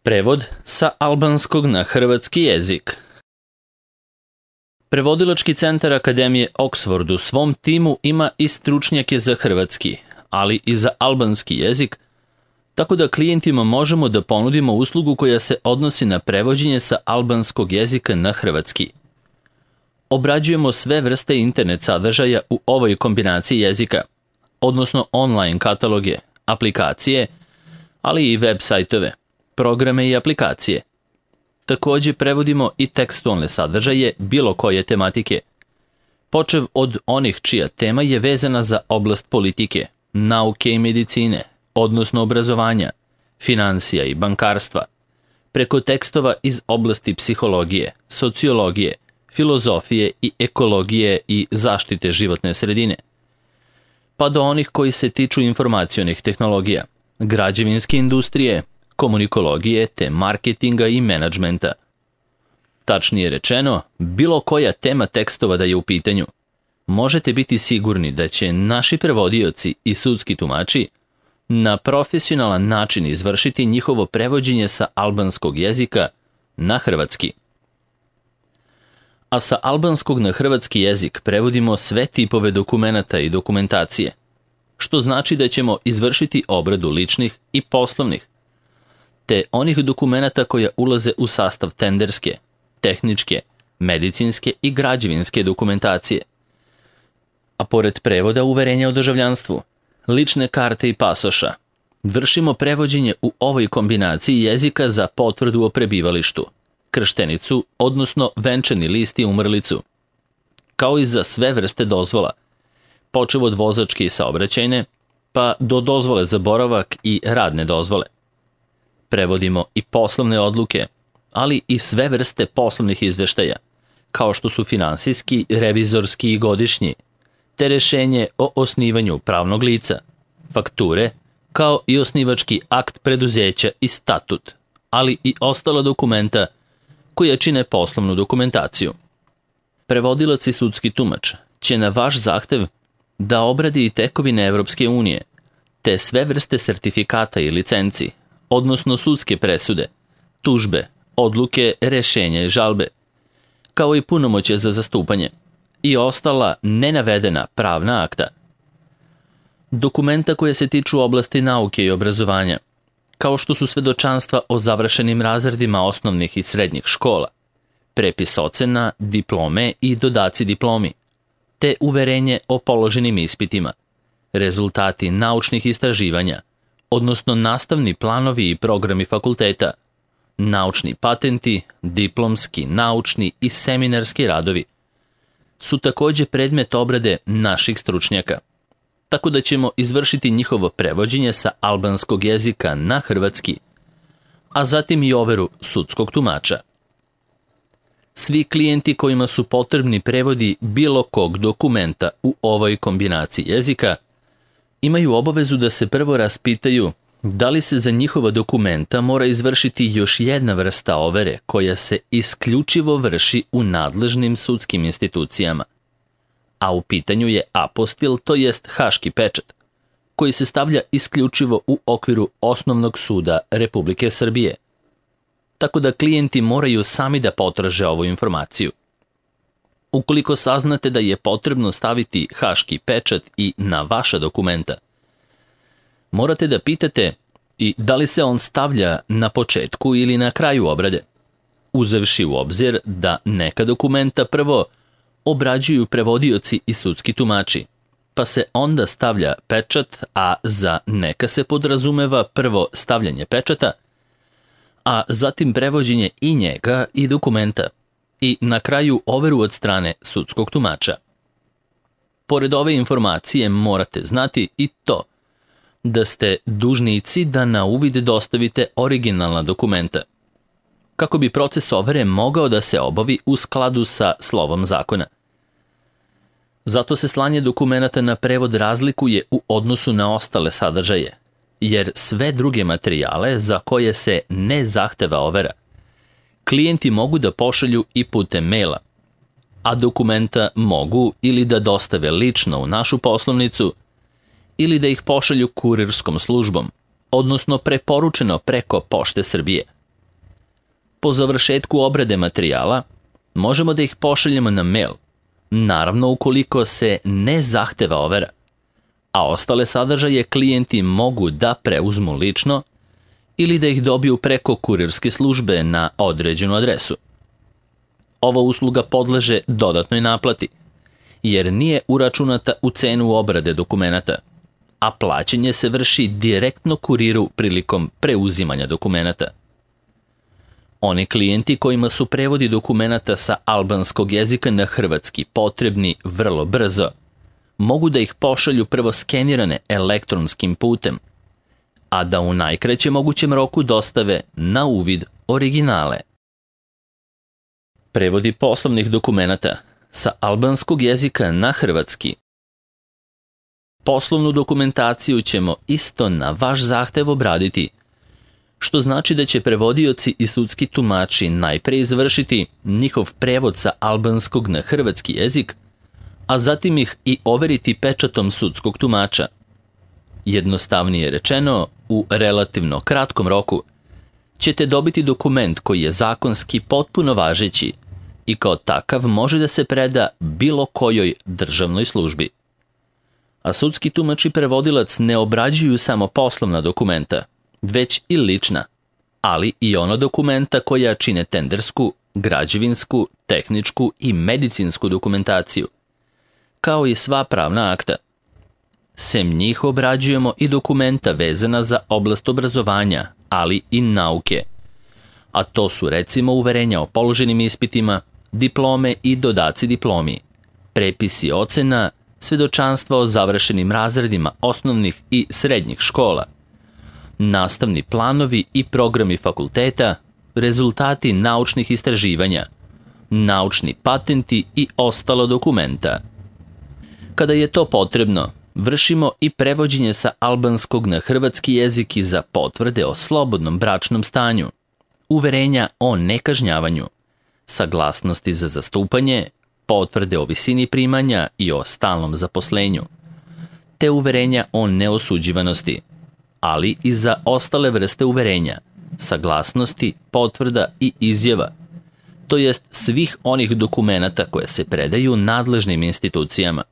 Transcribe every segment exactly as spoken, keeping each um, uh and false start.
Prevod sa albanskog na hrvatski jezik. Prevodilački centar Akademije Oxford u svom timu ima i stručnjake za hrvatski, ali i za albanski jezik, tako da klijentima možemo da ponudimo uslugu koja se odnosi na prevođenje sa albanskog jezika na hrvatski. Obrađujemo sve vrste internet sadržaja u ovoj kombinaciji jezika, odnosno online kataloge, aplikacije, ali i web sajtove, programe i aplikacije. Takođe prevodimo i tekstualne sadržaje bilo koje tematike, počev od onih čija tema je vezana za oblast politike, nauke i medicine, odnosno obrazovanja, finansija i bankarstva, preko tekstova iz oblasti psihologije, sociologije, filozofije i ekologije i zaštite životne sredine, pa do onih koji se tiču informacionih tehnologija, građevinske industrije, komunikologije te marketinga i menadžmenta. Tačnije rečeno, bilo koja tema tekstova da je u pitanju, možete biti sigurni da će naši prevodioci i sudski tumači na profesionalan način izvršiti njihovo prevođenje sa albanskog jezika na hrvatski. A sa albanskog na hrvatski jezik prevodimo sve tipove dokumenata i dokumentacije, što znači da ćemo izvršiti obradu ličnih i poslovnih, te onih dokumenata koja ulaze u sastav tenderske, tehničke, medicinske i građevinske dokumentacije. A pored prevoda uverenja o državljanstvu, lične karte i pasoša, vršimo prevođenje u ovoj kombinaciji jezika za potvrdu o prebivalištu, krštenicu, odnosno venčani list i umrlicu, kao i za sve vrste dozvola, počev od vozačke i saobraćajne, pa do dozvole za boravak i radne dozvole. Prevodimo i poslovne odluke, ali i sve vrste poslovnih izveštaja, kao što su finansijski, revizorski i godišnji, te rešenje o osnivanju pravnog lica, fakture, kao i osnivački akt preduzeća i statut, ali i ostala dokumenta koja čine poslovnu dokumentaciju. Prevodilac i sudski tumač će na vaš zahtev da obradi i tekovine Evropske unije, te sve vrste sertifikata i licenci, odnosno sudske presude, tužbe, odluke, rešenja i žalbe, kao i punomoćje za zastupanje i ostala nenavedena pravna akta. Dokumenta koje se tiču oblasti nauke i obrazovanja, kao što su svedočanstva o završenim razredima osnovnih i srednjih škola, prepis ocena, diplome i dodaci diplomi, te uverenje o položenim ispitima, rezultati naučnih istraživanja, odnosno nastavni planovi i programi fakulteta, naučni patenti, diplomski, naučni i seminarski radovi, su takođe predmet obrade naših stručnjaka, tako da ćemo izvršiti njihovo prevođenje sa albanskog jezika na hrvatski, a zatim i overu sudskog tumača. Svi klijenti kojima su potrebni prevodi bilo kog dokumenta u ovoj kombinaciji jezika imaju obavezu da se prvo raspitaju da li se za njihova dokumenta mora izvršiti još jedna vrsta overe koja se isključivo vrši u nadležnim sudskim institucijama, a u pitanju je apostil, to jest haški pečat, koji se stavlja isključivo u okviru Osnovnog suda Republike Srbije, tako da klijenti moraju sami da potraže ovu informaciju. Ukoliko saznate da je potrebno staviti haški pečat i na vaša dokumenta, morate da pitate i da li se on stavlja na početku ili na kraju obrade, uzevši u obzir da neka dokumenta prvo obrađuju prevodioci i sudski tumači, pa se onda stavlja pečat, a za neka se podrazumeva prvo stavljanje pečata, a zatim prevođenje i njega i dokumenta, i na kraju overu od strane sudskog tumača. Pored ove informacije morate znati i to da ste dužnici da na uvid dostavite originalna dokumenta, kako bi proces overe mogao da se obavi u skladu sa slovom zakona. Zato se slanje dokumenata na prevod razlikuje u odnosu na ostale sadržaje, jer sve druge materijale za koje se ne zahteva overa, klijenti mogu da pošalju i putem maila, a dokumenta mogu ili da dostave lično u našu poslovnicu ili da ih pošalju kurirskom službom, odnosno preporučeno preko Pošte Srbije. Po završetku obrade materijala, možemo da ih pošaljemo na mail, naravno ukoliko se ne zahteva overa, a ostale sadržaje klijenti mogu da preuzmu lično ili da ih dobiju preko kurirske službe na određenu adresu. Ova usluga podleže dodatnoj naplati, jer nije uračunata u cenu obrade dokumenata, a plaćanje se vrši direktno kuriru prilikom preuzimanja dokumenata. Oni klijenti kojima su prevodi dokumenata sa albanskog jezika na hrvatski potrebni vrlo brzo, mogu da ih pošalju prvo skenirane elektronskim putem, a da u najkraćem mogućem roku dostave na uvid originale. Prevodi poslovnih dokumenata sa albanskog jezika na hrvatski. Poslovnu dokumentaciju ćemo isto na vaš zahtev obraditi, što znači da će prevodioci i sudski tumači najpre izvršiti njihov prevod sa albanskog na hrvatski jezik, a zatim ih i overiti pečatom sudskog tumača. Jednostavnije rečeno, u relativno kratkom roku ćete dobiti dokument koji je zakonski potpuno važeći i kao takav može da se preda bilo kojoj državnoj službi. A sudski tumač i prevodilac ne obrađuju samo poslovna dokumenta, već i lična, ali i ono dokumenta koja čine tendersku, građevinsku, tehničku i medicinsku dokumentaciju, kao i sva pravna akta. Sem njih obrađujemo i dokumenta vezana za oblast obrazovanja, ali i nauke, a to su recimo uverenja o položenim ispitima, diplome i dodaci diplomi, prepisi ocena, svedočanstva o završenim razredima osnovnih i srednjih škola, nastavni planovi i programi fakulteta, rezultati naučnih istraživanja, naučni patenti i ostalo dokumenta. Kada je to potrebno, vršimo i prevođenje sa albanskog na hrvatski jezik i za potvrde o slobodnom bračnom stanju, uverenja o nekažnjavanju, saglasnosti za zastupanje, potvrde o visini primanja i o stalnom zaposlenju, te uverenja o neosuđivanosti, ali i za ostale vrste uverenja, saglasnosti, potvrda i izjava, to jest svih onih dokumenata koje se predaju nadležnim institucijama.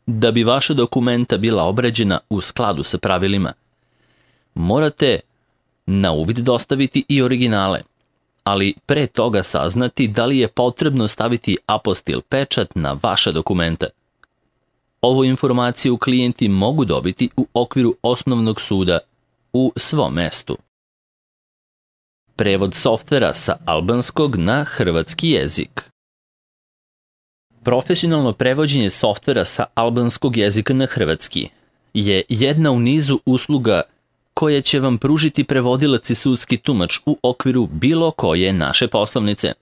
Da bi vaša dokumenta bila obrađena u skladu sa pravilima, morate na uvid dostaviti i originale, ali pre toga saznati da li je potrebno staviti apostil pečat na vaša dokumenta. Ovu informaciju klijenti mogu dobiti u okviru osnovnog suda u svom mestu. Prevod softvera sa albanskog na hrvatski jezik. Profesionalno prevođenje softvera sa albanskog jezika na hrvatski je jedna u nizu usluga koje će vam pružiti prevodilac i sudski tumač u okviru bilo koje naše poslovnice.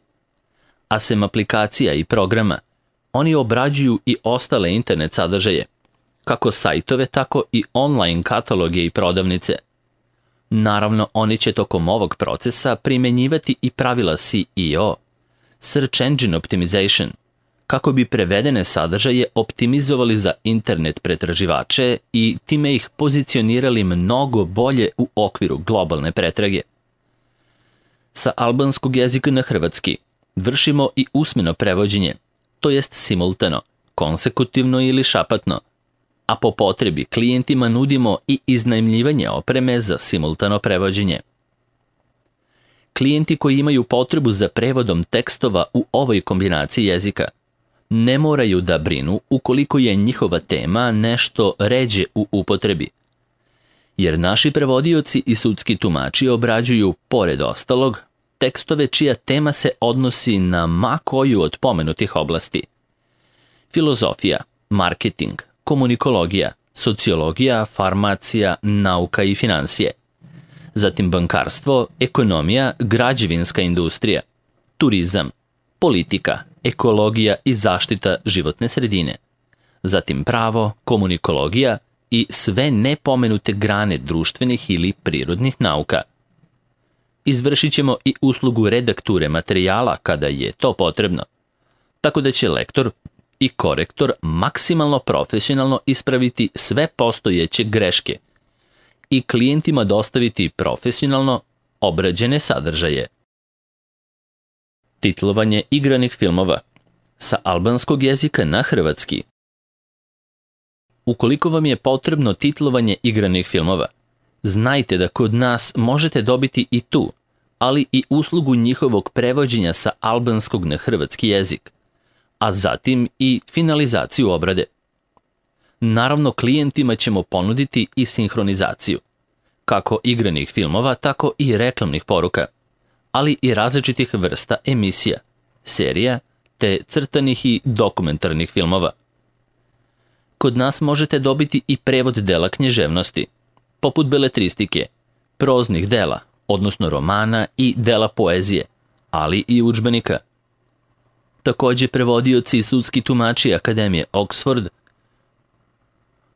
A sem aplikacija i programa, oni obrađuju i ostale internet sadržaje, kako sajtove, tako i online kataloge i prodavnice. Naravno, oni će tokom ovog procesa primenjivati i pravila S E O, Search Engine Optimization, kako bi prevedene sadržaje optimizovali za internet pretraživače i time ih pozicionirali mnogo bolje u okviru globalne pretrage. Sa albanskog jezika na hrvatski vršimo i usmeno prevođenje, to jest simultano, konsekutivno ili šapatno, a po potrebi klijentima nudimo i iznajmljivanje opreme za simultano prevođenje. Klijenti koji imaju potrebu za prevodom tekstova u ovoj kombinaciji jezika ne moraju da brinu ukoliko je njihova tema nešto ređe u upotrebi, jer naši prevodioci i sudski tumači obrađuju, pored ostalog, tekstove čija tema se odnosi na ma koju od pomenutih oblasti. Filozofija, marketing, komunikologija, sociologija, farmacija, nauka i finansije. Zatim bankarstvo, ekonomija, građevinska industrija, turizam, politika, ekologija i zaštita životne sredine. Zatim pravo, komunikologija i sve nepomenute grane društvenih ili prirodnih nauka. Izvršit ćemo i uslugu redakture materijala kada je to potrebno, tako da će lektor i korektor maksimalno profesionalno ispraviti sve postojeće greške i klijentima dostaviti profesionalno obrađene sadržaje. Titlovanje igranih filmova sa albanskog jezika na hrvatski. Ukoliko vam je potrebno titlovanje igranih filmova, znajte da kod nas možete dobiti i tu, ali i uslugu njihovog prevođenja sa albanskog na hrvatski jezik, a zatim i finalizaciju obrade. Naravno, klijentima ćemo ponuditi i sinhronizaciju, kako igranih filmova, tako i reklamnih poruka, ali i različitih vrsta emisija, serija, te crtanih i dokumentarnih filmova. Kod nas možete dobiti i prevod dela književnosti, poput beletristike, proznih dela, odnosno romana i dela poezije, ali i udžbenika. Takođe, prevodioci i sudski tumači Akademije Oxford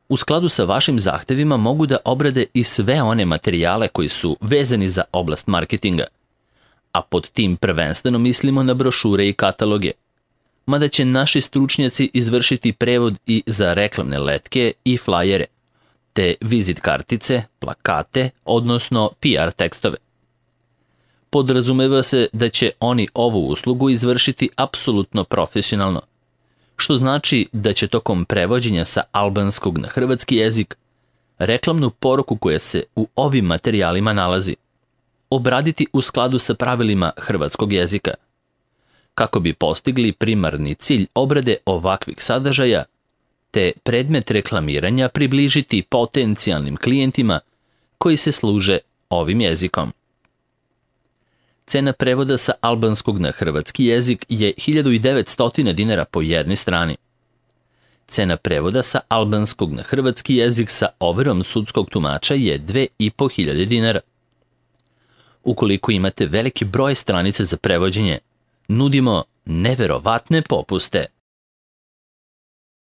u skladu sa vašim zahtevima mogu da obrade i sve one materijale koji su vezani za oblast marketinga, a pod tim prvenstveno mislimo na brošure i kataloge, mada će naši stručnjaci izvršiti prevod i za reklamne letke i flajere, te vizit kartice, plakate, odnosno P R tekstove. Podrazumeva se da će oni ovu uslugu izvršiti apsolutno profesionalno, što znači da će tokom prevođenja sa albanskog na hrvatski jezik reklamnu poruku koja se u ovim materijalima nalazi obraditi u skladu sa pravilima hrvatskog jezika, kako bi postigli primarni cilj obrade ovakvih sadržaja, te predmet reklamiranja približiti potencijalnim klijentima koji se služe ovim jezikom. Cena prevoda sa albanskog na hrvatski jezik je hiljadu devetsto dinara po jednoj strani. Cena prevoda sa albanskog na hrvatski jezik sa overom sudskog tumača je dve i po hiljade dinara. Ukoliko imate veliki broj stranica za prevođenje, nudimo neverovatne popuste.